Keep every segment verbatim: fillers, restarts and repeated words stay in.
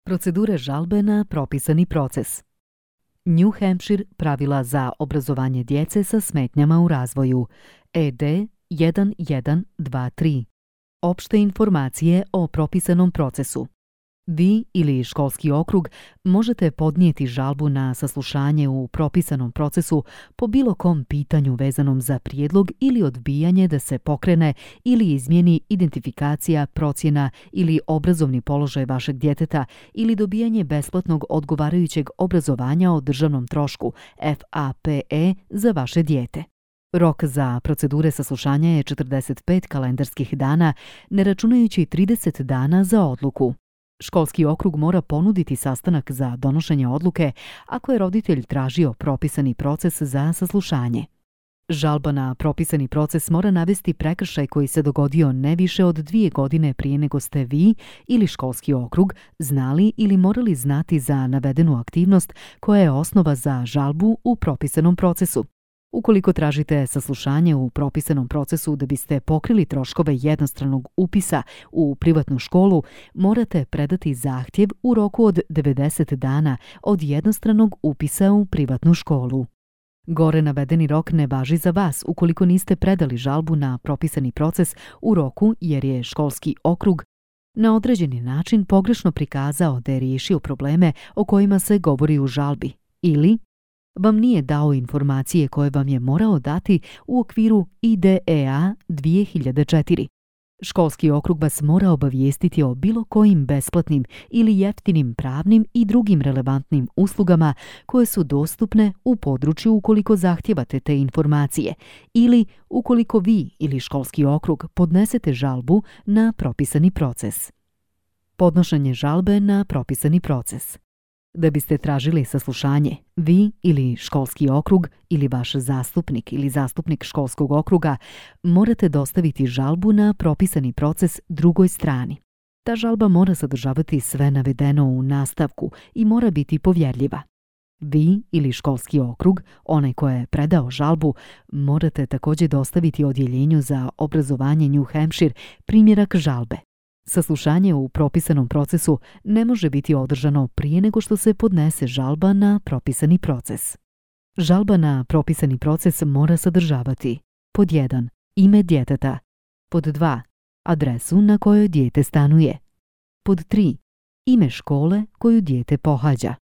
Procedure žalbe na propisani proces. New Hampshire pravila za obrazovanje djece sa smetnjama u razvoju E D jedan jedan dva tri. Opšte informacije o propisanom procesu. Vi ili školski okrug možete podnijeti žalbu na saslušanje u propisanom procesu po bilo kom pitanju vezanom za prijedlog ili odbijanje da se pokrene ili izmijeni identifikacija, procjena ili obrazovni položaj vašeg djeteta ili dobijanje besplatnog odgovarajućeg obrazovanja o državnom trošku F A P E za vaše dijete. Rok za procedure saslušanja je četrdeset pet kalendarskih dana, ne računajući trideset dana za odluku. Školski okrug mora ponuditi sastanak za donošenje odluke ako je roditelj tražio propisani proces za saslušanje. Žalba na propisani proces mora navesti prekršaj koji se dogodio ne više od dvije godine prije nego ste vi ili školski okrug znali ili morali znati za navedenu aktivnost koja je osnova za žalbu u propisanom procesu. Ukoliko tražite saslušanje u propisanom procesu da biste pokrili troškove jednostranog upisa u privatnu školu, morate predati zahtjev u roku od devedeset dana od jednostranog upisa u privatnu školu. Gore navedeni rok ne važi za vas ukoliko niste predali žalbu na propisani proces u roku jer je školski okrug na određeni način pogrešno prikazao da je riješio probleme o kojima se govori u žalbi ili vam nije dao informacije koje vam je morao dati u okviru I D E A dvije hiljade četiri. Školski okrug vas mora obavijestiti o bilo kojim besplatnim ili jeftinim pravnim i drugim relevantnim uslugama koje su dostupne u području ukoliko zahtijevate te informacije ili ukoliko vi ili školski okrug podnesete žalbu na propisani proces. Podnošenje žalbe na propisani proces. Da biste tražili saslušanje, vi ili školski okrug ili vaš zastupnik ili zastupnik školskog okruga morate dostaviti žalbu na propisani proces drugoj strani. Ta žalba mora sadržavati sve navedeno u nastavku i mora biti povjerljiva. Vi ili školski okrug, onaj ko je predao žalbu, morate također dostaviti odjeljenju za obrazovanje New Hampshire primjerak žalbe. Saslušanje u propisanom procesu ne može biti održano prije nego što se podnese žalba na propisani proces. Žalba na propisani proces mora sadržavati pod jedan. Ime djeteta, pod dva. Adresu na kojoj dijete stanuje, pod tri. Ime škole koju dijete pohađa,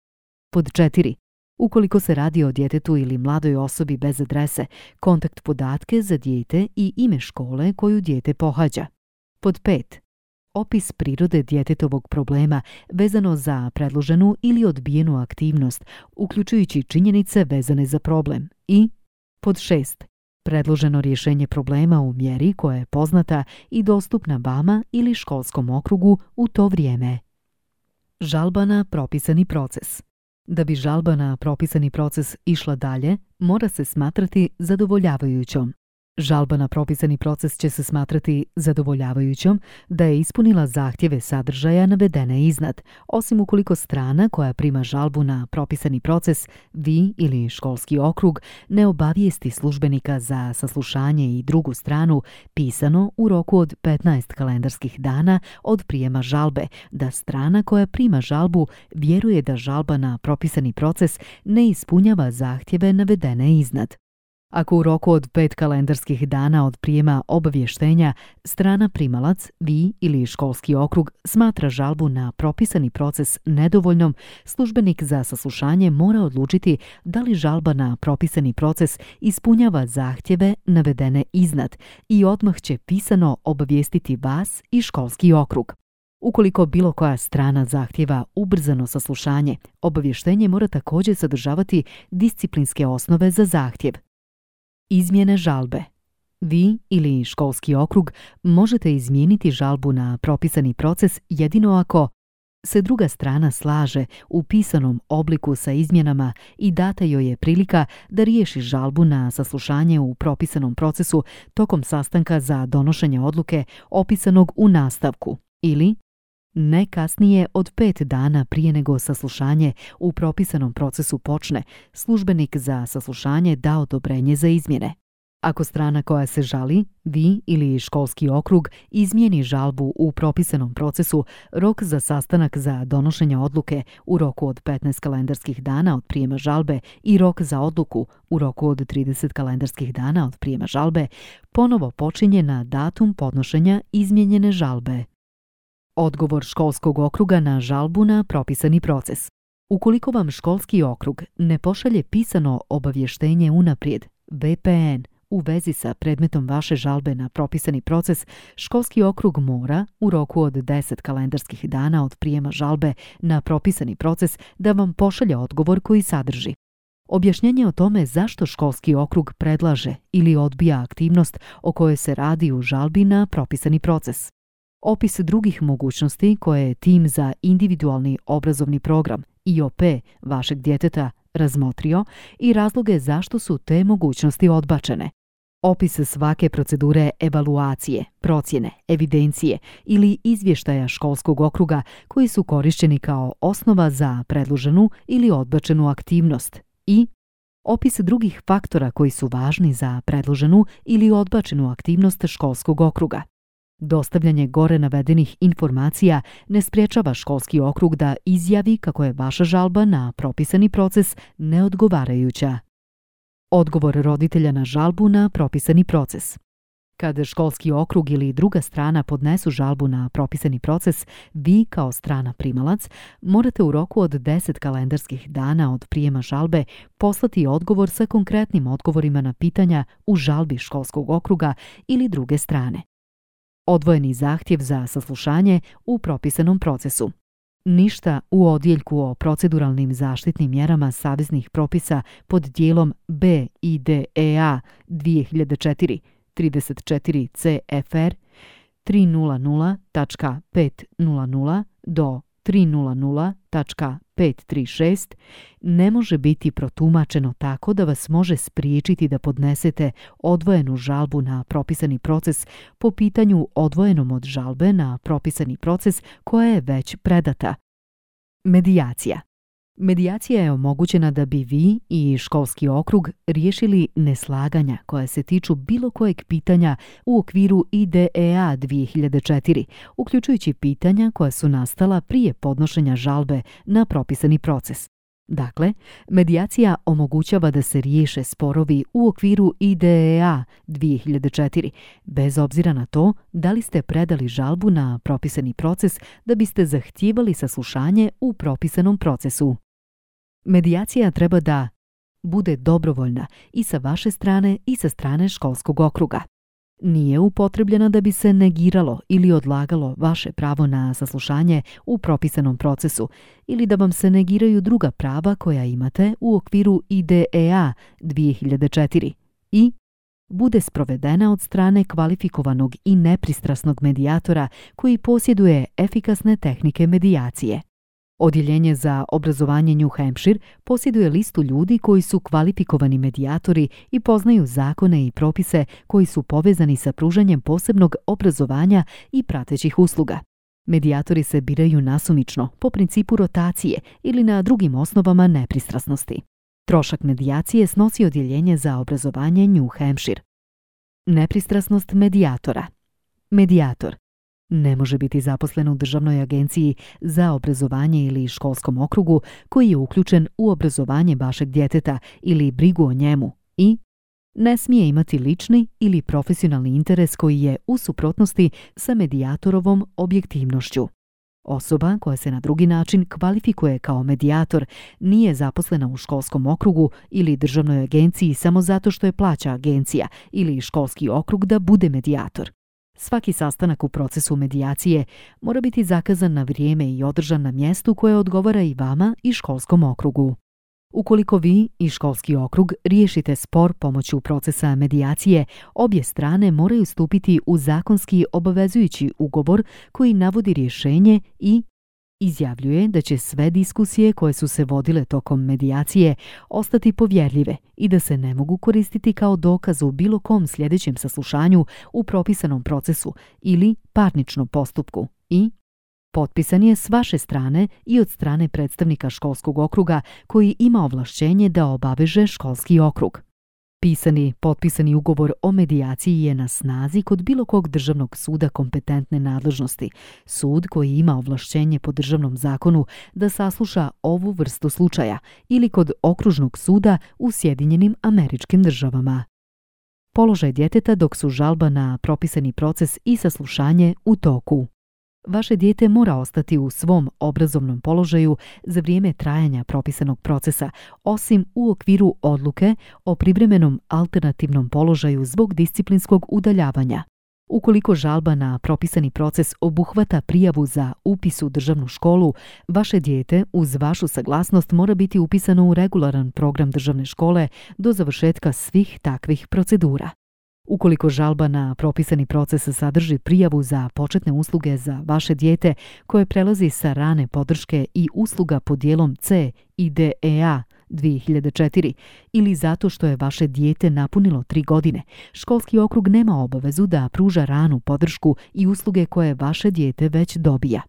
pod četiri. Ukoliko se radi o djetetu ili mladoj osobi bez adrese, kontakt podatke za dijete i ime škole koju dijete pohađa, pod pet. Opis prirode djetetovog problema vezano za predloženu ili odbijenu aktivnost, uključujući činjenice vezane za problem i pod šest. Predloženo rješenje problema u mjeri koja je poznata i dostupna vama ili školskom okrugu u to vrijeme. Žalba na propisani proces. Da bi žalba na propisani proces išla dalje, mora se smatrati zadovoljavajućom. Žalba na propisani proces će se smatrati zadovoljavajućom da je ispunila zahtjeve sadržaja navedene iznad, osim ukoliko strana koja prima žalbu na propisani proces, vi ili školski okrug, ne obavijesti službenika za saslušanje i drugu stranu pisano u roku od petnaest kalendarskih dana od prijema žalbe, da strana koja prima žalbu vjeruje da žalba na propisani proces ne ispunjava zahtjeve navedene iznad. Ako u roku od pet kalendarskih dana od prijema obavještenja strana primalac, vi ili školski okrug smatra žalbu na propisani proces nedovoljnom, službenik za saslušanje mora odlučiti da li žalba na propisani proces ispunjava zahtjeve navedene iznad i odmah će pisano obavijestiti vas i školski okrug. Ukoliko bilo koja strana zahtjeva ubrzano saslušanje, obavještenje mora također sadržavati disciplinske osnove za zahtjev. Izmjene žalbe. Vi ili školski okrug možete izmijeniti žalbu na propisani proces jedino ako se druga strana slaže u pisanom obliku sa izmjenama i data joj je prilika da riješi žalbu na saslušanje u propisanom procesu tokom sastanka za donošenje odluke opisanog u nastavku ili ne kasnije od pet dana prije nego saslušanje u propisanom procesu počne, službenik za saslušanje da odobrenje za izmjene. Ako strana koja se žali, vi ili školski okrug, izmijeni žalbu u propisanom procesu, rok za sastanak za donošenje odluke u roku od petnaest kalendarskih dana od prijema žalbe i rok za odluku u roku od trideset kalendarskih dana od prijema žalbe ponovo počinje na datum podnošenja izmijenjene žalbe. Odgovor školskog okruga na žalbu na propisani proces. Ukoliko vam školski okrug ne pošalje pisano obavještenje unaprijed, V P N, u vezi sa predmetom vaše žalbe na propisani proces, školski okrug mora, u roku od deset kalendarskih dana od prijema žalbe na propisani proces, da vam pošalje odgovor koji sadrži objašnjenje o tome zašto školski okrug predlaže ili odbija aktivnost o kojoj se radi u žalbi na propisani proces, opis drugih mogućnosti koje je tim za individualni obrazovni program I O P vašeg djeteta razmotrio i razloge zašto su te mogućnosti odbačene, opis svake procedure evaluacije, procjene, evidencije ili izvještaja školskog okruga koji su korišćeni kao osnova za predloženu ili odbačenu aktivnost i opis drugih faktora koji su važni za predloženu ili odbačenu aktivnost školskog okruga. Dostavljanje gore navedenih informacija ne sprječava školski okrug da izjavi kako je vaša žalba na propisani proces neodgovarajuća. Odgovor roditelja na žalbu na propisani proces. Kad školski okrug ili druga strana podnesu žalbu na propisani proces, vi kao strana primalac morate u roku od deset kalendarskih dana od prijema žalbe poslati odgovor sa konkretnim odgovorima na pitanja u žalbi školskog okruga ili druge strane. Odvojeni zahtjev za saslušanje u propisanom procesu. Ništa u odjeljku o proceduralnim zaštitnim mjerama saveznih propisa pod dijelom B I D E A dvije hiljade četiri trideset četiri C F R tristo tačka petsto do tristo tačka petsto trideset šest ne može biti protumačeno tako da vas može spriječiti da podnesete odvojenu žalbu na propisani proces po pitanju odvojenom od žalbe na propisani proces koja je već predata. Medijacija. Medijacija je omogućena da bi vi i školski okrug riješili neslaganja koja se tiču bilo kojeg pitanja u okviru I D E A dvije hiljade četiri, uključujući pitanja koja su nastala prije podnošenja žalbe na propisani proces. Dakle, medijacija omogućava da se riješe sporovi u okviru I D E A dvije hiljade četiri, bez obzira na to da li ste predali žalbu na propisani proces da biste zahtijevali saslušanje u propisanom procesu. Medijacija treba da bude dobrovoljna i sa vaše strane i sa strane školskog okruga. Nije upotrebljena da bi se negiralo ili odlagalo vaše pravo na saslušanje u propisanom procesu ili da vam se negiraju druga prava koja imate u okviru I D E A dvije hiljade četiri i bude sprovedena od strane kvalifikovanog i nepristrasnog medijatora koji posjeduje efikasne tehnike medijacije. Odjeljenje za obrazovanje New Hampshire posjeduje listu ljudi koji su kvalifikovani medijatori i poznaju zakone i propise koji su povezani sa pružanjem posebnog obrazovanja i pratećih usluga. Medijatori se biraju nasumično, po principu rotacije ili na drugim osnovama nepristrasnosti. Trošak medijacije snosi odjeljenje za obrazovanje New Hampshire. Nepristrasnost medijatora. Medijator ne može biti zaposlen u državnoj agenciji za obrazovanje ili školskom okrugu koji je uključen u obrazovanje vašeg djeteta ili brigu o njemu i ne smije imati lični ili profesionalni interes koji je u suprotnosti sa medijatorovom objektivnošću. Osoba koja se na drugi način kvalifikuje kao medijator nije zaposlena u školskom okrugu ili državnoj agenciji samo zato što je plaća agencija ili školski okrug da bude medijator. Svaki sastanak u procesu medijacije mora biti zakazan na vrijeme i održan na mjestu koje odgovara i vama i školskom okrugu. Ukoliko vi i školski okrug riješite spor pomoću procesa medijacije, obje strane moraju stupiti u zakonski obavezujući ugovor koji navodi rješenje i izjavljuje da će sve diskusije koje su se vodile tokom medijacije ostati povjerljive i da se ne mogu koristiti kao dokaz u bilo kom sljedećem saslušanju u propisanom procesu ili parničnom postupku i potpisan je s vaše strane i od strane predstavnika školskog okruga koji ima ovlašćenje da obaveže školski okrug. Pisani, potpisani ugovor o medijaciji je na snazi kod bilo kog državnog suda kompetentne nadležnosti, sud koji ima ovlašćenje po državnom zakonu da sasluša ovu vrstu slučaja, ili kod okružnog suda u Sjedinjenim Američkim Državama. Položaj djeteta dok su žalba na propisani proces i saslušanje u toku. Vaše dijete mora ostati u svom obrazovnom položaju za vrijeme trajanja propisanog procesa, osim u okviru odluke o privremenom alternativnom položaju zbog disciplinskog udaljavanja. Ukoliko žalba na propisani proces obuhvata prijavu za upis u državnu školu, vaše dijete uz vašu saglasnost mora biti upisano u regularan program državne škole do završetka svih takvih procedura. Ukoliko žalba na propisani proces sadrži prijavu za početne usluge za vaše dijete koje prelazi sa rane podrške i usluga pod dijelom C I D E A dvije hiljade četiri ili zato što je vaše dijete napunilo tri godine, školski okrug nema obavezu da pruža ranu podršku i usluge koje vaše dijete već dobija.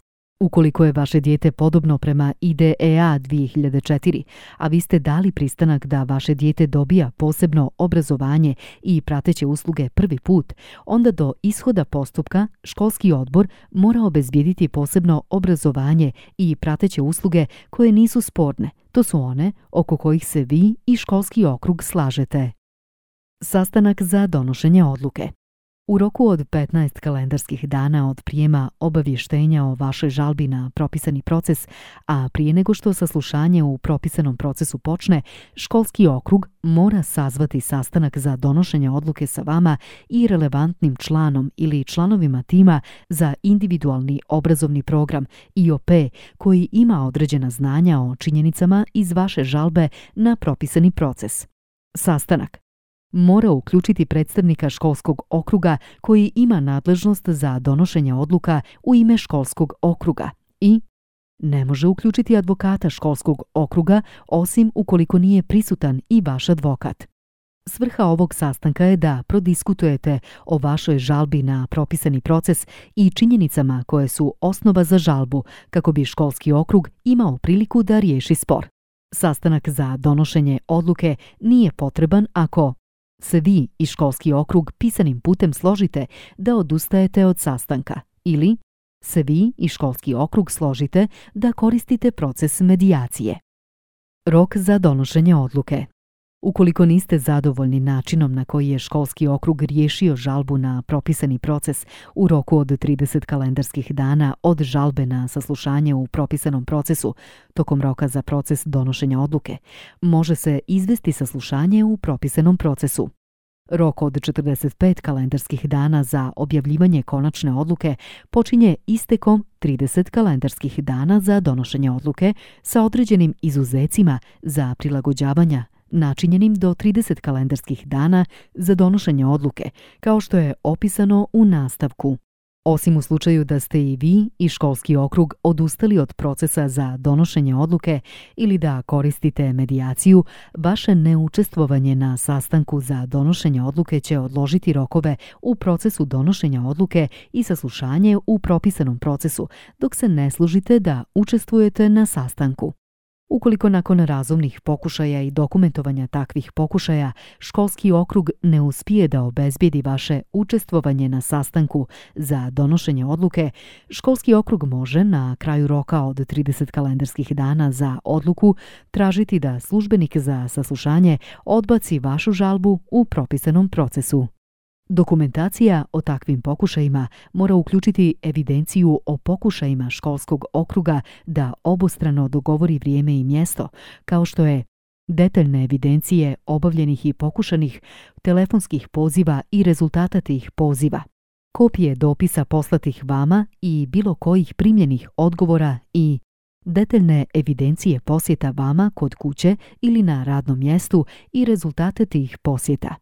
Ukoliko je vaše dijete podobno prema I D E A dvije hiljade četiri, a vi ste dali pristanak da vaše dijete dobija posebno obrazovanje i prateće usluge prvi put, onda do ishoda postupka školski odbor mora obezbijediti posebno obrazovanje i prateće usluge koje nisu sporne. To su one oko kojih se vi i školski okrug slažete. Sastanak za donošenje odluke. U roku od petnaest kalendarskih dana od prijema obavještenja o vašoj žalbi na propisani proces, a prije nego što saslušanje u propisanom procesu počne, školski okrug mora sazvati sastanak za donošenje odluke sa vama i relevantnim članom ili članovima tima za individualni obrazovni program I O P koji ima određena znanja o činjenicama iz vaše žalbe na propisani proces. Sastanak mora uključiti predstavnika školskog okruga koji ima nadležnost za donošenje odluka u ime školskog okruga i ne može uključiti advokata školskog okruga osim ukoliko nije prisutan i vaš advokat. Svrha ovog sastanka je da prodiskutujete o vašoj žalbi na propisani proces i činjenicama koje su osnova za žalbu kako bi školski okrug imao priliku da riješi spor. Sastanak za donošenje odluke nije potreban ako se vi i školski okrug pisanim putem složite da odustajete od sastanka ili se vi i školski okrug složite da koristite proces medijacije. Rok za donošenje odluke. Ukoliko niste zadovoljni načinom na koji je školski okrug riješio žalbu na propisani proces u roku od trideset kalendarskih dana od žalbe na saslušanje u propisanom procesu tokom roka za proces donošenja odluke, može se izvesti saslušanje u propisanom procesu. Rok od četrdeset pet kalendarskih dana za objavljivanje konačne odluke počinje istekom trideset kalendarskih dana za donošenje odluke sa određenim izuzecima za prilagođavanja načinjenim do trideset kalendarskih dana za donošenje odluke, kao što je opisano u nastavku. Osim u slučaju da ste i vi i školski okrug odustali od procesa za donošenje odluke ili da koristite medijaciju, vaše neučestvovanje na sastanku za donošenje odluke će odložiti rokove u procesu donošenja odluke i saslušanje u propisanom procesu, dok se ne služite da učestvujete na sastanku. Ukoliko nakon razumnih pokušaja i dokumentovanja takvih pokušaja školski okrug ne uspije da obezbijedi vaše učestvovanje na sastanku za donošenje odluke, školski okrug može na kraju roka od trideset kalendarskih dana za odluku tražiti da službenik za saslušanje odbaci vašu žalbu u propisanom procesu. Dokumentacija o takvim pokušajima mora uključiti evidenciju o pokušajima školskog okruga da obostrano dogovori vrijeme i mjesto, kao što je detaljne evidencije obavljenih i pokušanih telefonskih poziva i rezultata tih poziva, kopije dopisa poslatih vama i bilo kojih primljenih odgovora i detaljne evidencije posjeta vama kod kuće ili na radnom mjestu i rezultate tih posjeta.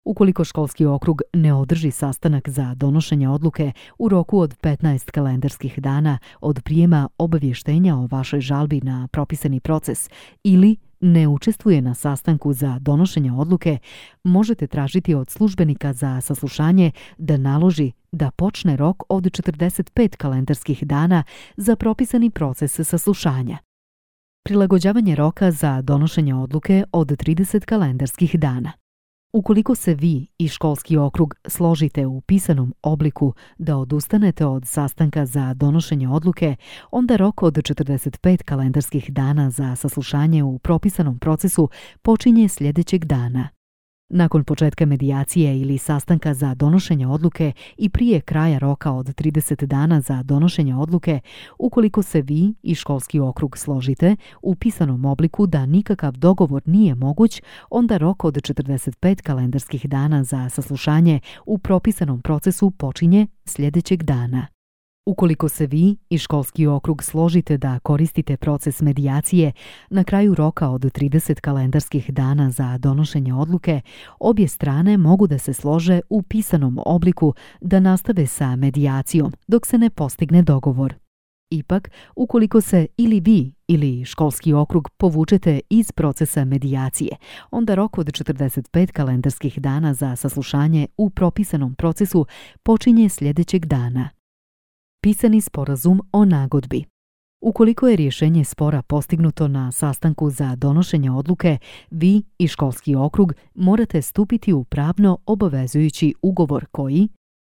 Ukoliko školski okrug ne održi sastanak za donošenje odluke u roku od petnaest kalendarskih dana od prijema obavještenja o vašoj žalbi na propisani proces ili ne učestvuje na sastanku za donošenje odluke, možete tražiti od službenika za saslušanje da naloži da počne rok od četrdeset pet kalendarskih dana za propisani proces saslušanja. Prilagođavanje roka za donošenje odluke od trideset kalendarskih dana. Ukoliko se vi i školski okrug složite u pisanom obliku da odustanete od sastanka za donošenje odluke, onda rok od četrdeset pet kalendarskih dana za saslušanje u propisanom procesu počinje sljedećeg dana. Nakon početka medijacije ili sastanka za donošenje odluke i prije kraja roka od trideset dana za donošenje odluke, ukoliko se vi i školski okrug složite u pisanom obliku da nikakav dogovor nije moguć, onda rok od četrdeset pet kalendarskih dana za saslušanje u propisanom procesu počinje sljedećeg dana. Ukoliko se vi i školski okrug složite da koristite proces medijacije, na kraju roka od trideset kalendarskih dana za donošenje odluke, obje strane mogu da se slože u pisanom obliku da nastave sa medijacijom dok se ne postigne dogovor. Ipak, ukoliko se ili vi ili školski okrug povučete iz procesa medijacije, onda rok od četrdeset pet kalendarskih dana za saslušanje u propisanom procesu počinje sljedećeg dana. Pisani sporazum o nagodbi. Ukoliko je rješenje spora postignuto na sastanku za donošenje odluke, vi i školski okrug morate stupiti u pravno obavezujući ugovor koji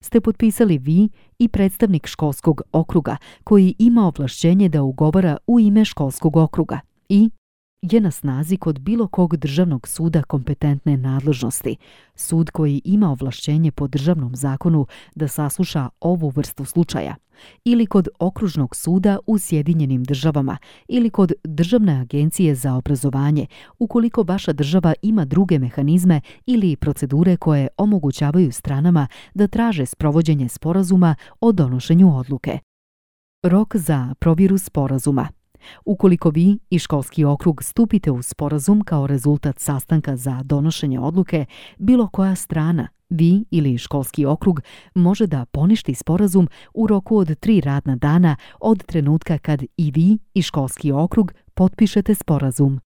ste potpisali vi i predstavnik školskog okruga koji ima ovlašćenje da ugovara u ime školskog okruga i je na snazi kod bilo kog državnog suda kompetentne nadležnosti, sud koji ima ovlašćenje po državnom zakonu da sasluša ovu vrstu slučaja, ili kod okružnog suda u Sjedinjenim državama ili kod Državne agencije za obrazovanje, ukoliko vaša država ima druge mehanizme ili procedure koje omogućavaju stranama da traže sprovođenje sporazuma o donošenju odluke. Rok za provjeru sporazuma. Ukoliko vi i školski okrug stupite u sporazum kao rezultat sastanka za donošenje odluke, bilo koja strana, vi ili školski okrug, može da poništi sporazum u roku od tri radna dana od trenutka kad i vi i školski okrug potpišete sporazum.